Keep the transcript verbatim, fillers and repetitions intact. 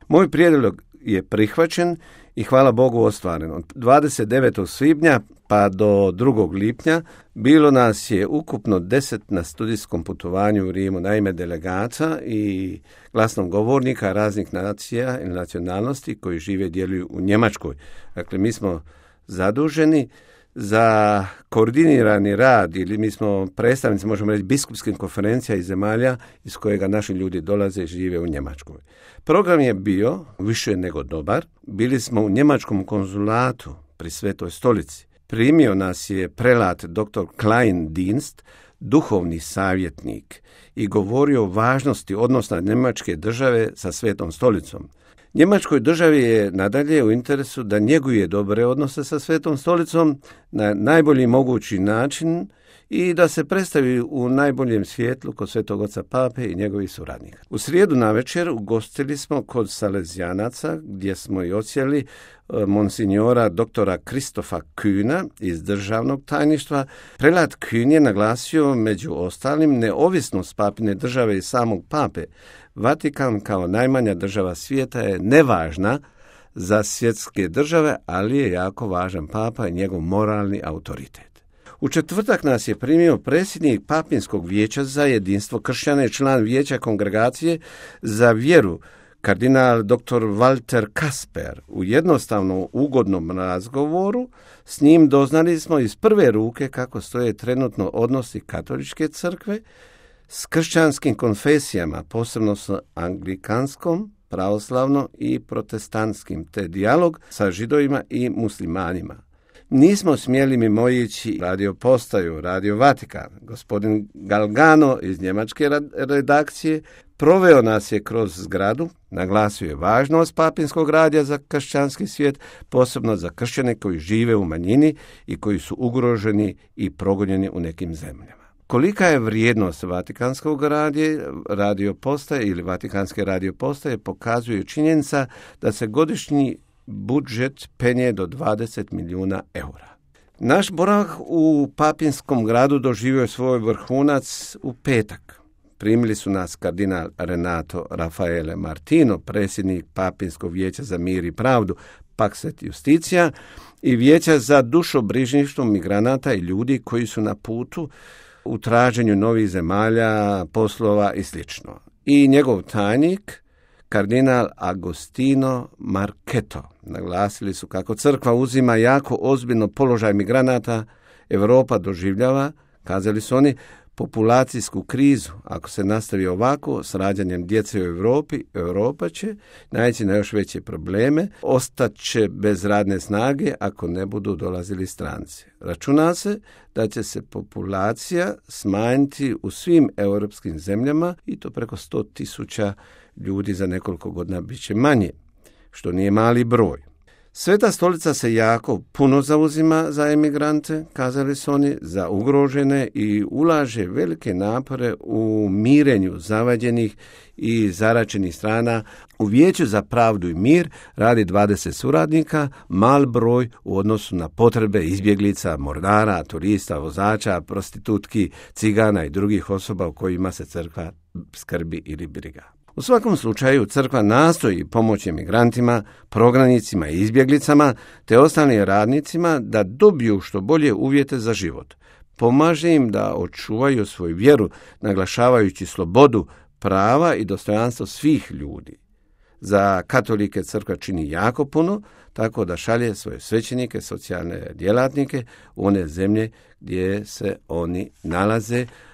Moj prijedlog je prihvaćen i hvala Bogu ostvaren. Od dvadeset devetog svibnja pa do drugog lipnja bilo nas je ukupno deset na studijskom putovanju u Rimu, naime delegata i glasnogovornika raznih nacija i nacionalnosti koji žive i djeluju u Njemačkoj. Dakle, mi smo zaduženi za koordinirani rad ili mi smo predstavnici, možemo reći, biskupskih konferencija iz zemalja iz kojega naši ljudi dolaze i žive u Njemačkoj. Program je bio više nego dobar. Bili smo u njemačkom konzulatu pri Svetoj stolici. Primio nas je prelat doktor Klein Dienst, duhovni savjetnik, i govorio o važnosti odnosa njemačke države sa Svetom stolicom. Njemačkoj državi je nadalje u interesu da njeguje dobre odnose sa Svetom stolicom na najbolji mogući način i da se predstavi u najboljem svjetlu kod Svetog oca Pape i njegovih suradnika. U srijedu navečer ugostili smo kod Salezijanaca, gdje smo i odsjeli monsignora doktora Kristofa Kühna iz državnog tajništva. Prelat Kühn je naglasio među ostalim neovisnost papine države i samog pape. Vatikan kao najmanja država svijeta je nevažna za svjetske države, ali je jako važan papa i njegov moralni autoritet. U četvrtak nas je primio predsjednik Papinskog vijeća za jedinstvo kršćana i član vijeća kongregacije za vjeru, kardinal doktor Walter Kasper. U jednostavnom ugodnom razgovoru s njim doznali smo iz prve ruke kako stoje trenutno odnosi katoličke crkve s kršćanskim konfesijama, posebno s anglikanskom, pravoslavnom i protestantskim, te dijalog sa židovima i muslimanima. Nismo smjeli mimoići radio postaju, Radio Vatikan. Gospodin Galgano iz njemačke redakcije proveo nas je kroz zgradu, naglasio je važnost papinskog radija za kršćanski svijet, posebno za kršćane koji žive u manjini i koji su ugroženi i progonjeni u nekim zemljama. Kolika je vrijednost Vatikanskog radija, radio postaje ili Vatikanske radio postaje pokazuje činjenica da se godišnji budžet penje do dvadeset milijuna eura. Naš boravak u Papinskom gradu doživio je svoj vrhunac u petak. Primili su nas kardinal Renato Raffaele Martino, predsjednik Papinskog vijeća za mir i pravdu, Pax et Justitia, i vijeća za dušobrižništvo migranata i ljudi koji su na putu u traženju novih zemalja, poslova i sl. I njegov tajnik, kardinal Agostino Marchetto. Naglasili su kako crkva uzima jako ozbiljno položaj migranata. Europa doživljava, kazali su oni, populacijsku krizu. Ako se nastavi ovako s rađanjem djece u Europi, Europa će naići na još veće probleme, ostaće bez radne snage ako ne budu dolazili stranci. Računa se da će se populacija smanjiti u svim europskim zemljama i to preko sto tisuća ljudi za nekoliko godina bit će manje, što nije mali broj. Sveta stolica se jako puno zauzima za emigrante, kazali su oni, za ugrožene i ulaže velike napore u mirenju zavađenih i zaračenih strana. U Vijeću za pravdu i mir radi dvadeset suradnika, mal broj u odnosu na potrebe izbjeglica, mordara, turista, vozača, prostitutki, cigana i drugih osoba u kojima se crkva skrbi ili briga. U svakom slučaju crkva nastoji pomoći emigrantima, prognanicima i izbjeglicama te ostalim radnicima da dobiju što bolje uvjete za život. Pomaže im da očuvaju svoju vjeru, naglašavajući slobodu, prava i dostojanstvo svih ljudi. Za katolike crkva čini jako puno, tako da šalje svoje svećenike, socijalne djelatnike u one zemlje gdje se oni nalaze,